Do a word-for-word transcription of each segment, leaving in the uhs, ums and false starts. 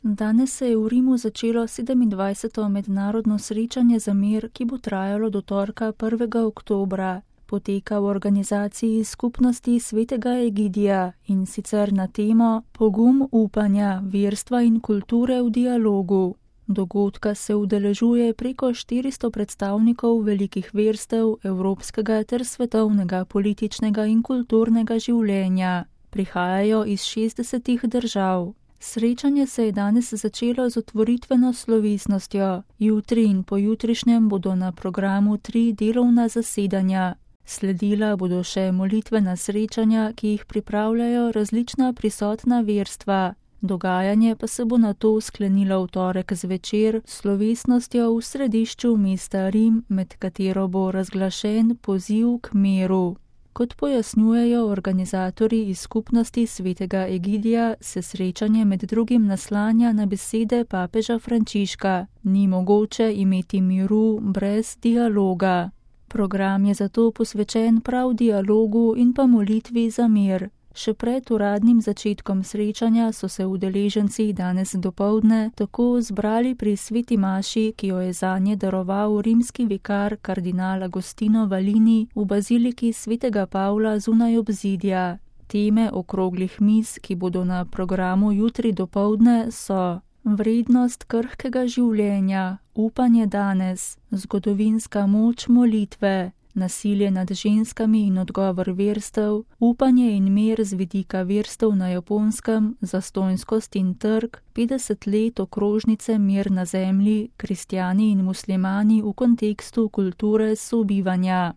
Danes se je v Rimu začelo sedemindvajseto mednarodno srečanje za mir, ki bo trajalo do torka prvega oktobra. Poteka v organizaciji Skupnosti svetega Egidija in sicer na temo Pogum upanja, verstva in kulture v dialogu. Dogodka se udeležuje preko štiristo predstavnikov velikih verstev evropskega ter svetovnega političnega in kulturnega življenja. Prihajajo iz šestdesetih držav. Srečanje se je danes začelo z otvoritveno slovesnostjo. Jutri in pojutrišnjem bodo na programu tri delovna zasedanja. Sledila bodo še molitvena srečanja, ki jih pripravljajo različna prisotna verstva. Dogajanje pa se bo nato sklenilo v torek zvečer s slovesnostjo v središču mesta Rim, med katero bo razglašen poziv k miru. Kot pojasnjujejo organizatorji iz Skupnosti svetega Egidija, se srečanje med drugim naslanja na besede papeža Frančiška: ni mogoče imeti miru brez dialoga. Program je zato posvečen prav dialogu in pa molitvi za mir. Še pred uradnim začetkom srečanja so se udeleženci danes dopoldne tako zbrali pri sveti maši, ki jo je zanje daroval rimski vikar kardinal Agostino Valini v baziliki svetega Pavla zunaj obzidja. Teme okroglih miz, ki bodo na programu jutri dopoldne, so vrednost krhkega življenja, upanje danes, zgodovinska moč molitve, nasilje nad ženskami in odgovor verstev, upanje in mir z vidika verstev na Japonskem, zastonjskost in trg, petdeset let okrožnice Mir na zemlji, kristjani in muslimani v kontekstu kulture sobivanja.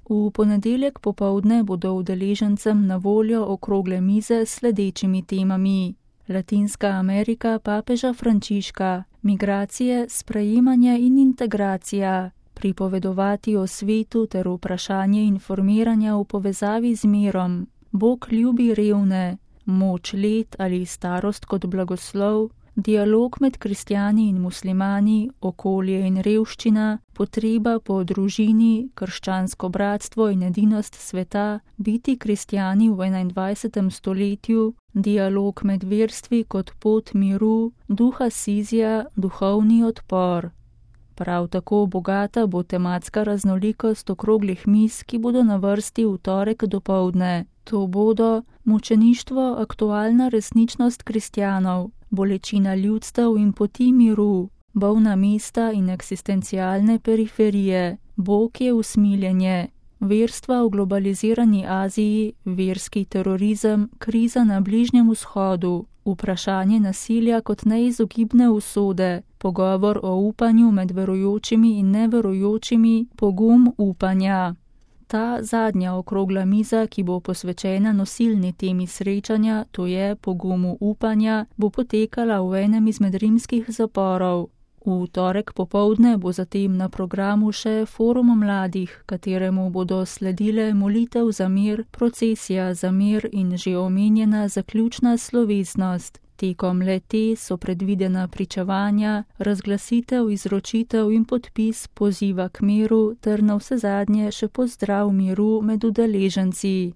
V ponedeljek popoldne bodo udeležencem na voljo okrogle mize s sledečimi temami: Latinska Amerika papeža Frančiška, migracije, sprejemanje in integracija, pripovedovati o svetu ter vprašanje informiranja v povezavi z mirom, Bog ljubi revne, moč let ali starost kot blagoslov, dialog med kristjani in muslimani, okolje in revščina, potreba po družini, krščansko bratstvo in edinost sveta, biti kristjani v enaindvajsetem stoletju, dialog med verstvi kot pot miru, duha Sizija, duhovni odpor. Prav tako bogata bo tematska raznolikost okroglih miz, ki bodo na vrsti v torek dopoldne. To bodo mučeništvo, aktualna resničnost kristjanov, bolečina ljudstev in poti miru, bolna mesta in eksistencialne periferije, Bog je usmiljenje, verstva v globalizirani Aziji, verski terorizem, kriza na Bližnjem vzhodu, vprašanje nasilja kot neizogibne usode, pogovor o upanju med verujočimi in neverujočimi, pogum upanja. Ta zadnja okrogla miza, ki bo posvečena nosilni temi srečanja, to je pogumu upanja, bo potekala v enem izmed rimskih zaporov. V torek popoldne bo zatem na programu še forum mladih, kateremu bodo sledile molitev za mir, procesija za mir in že omenjena zaključna slovesnost. Tekom le-te so predvidena pričevanja, razglasitev, izročitev in podpis poziva k miru ter navsezadnje še pozdrav miru med udeleženci.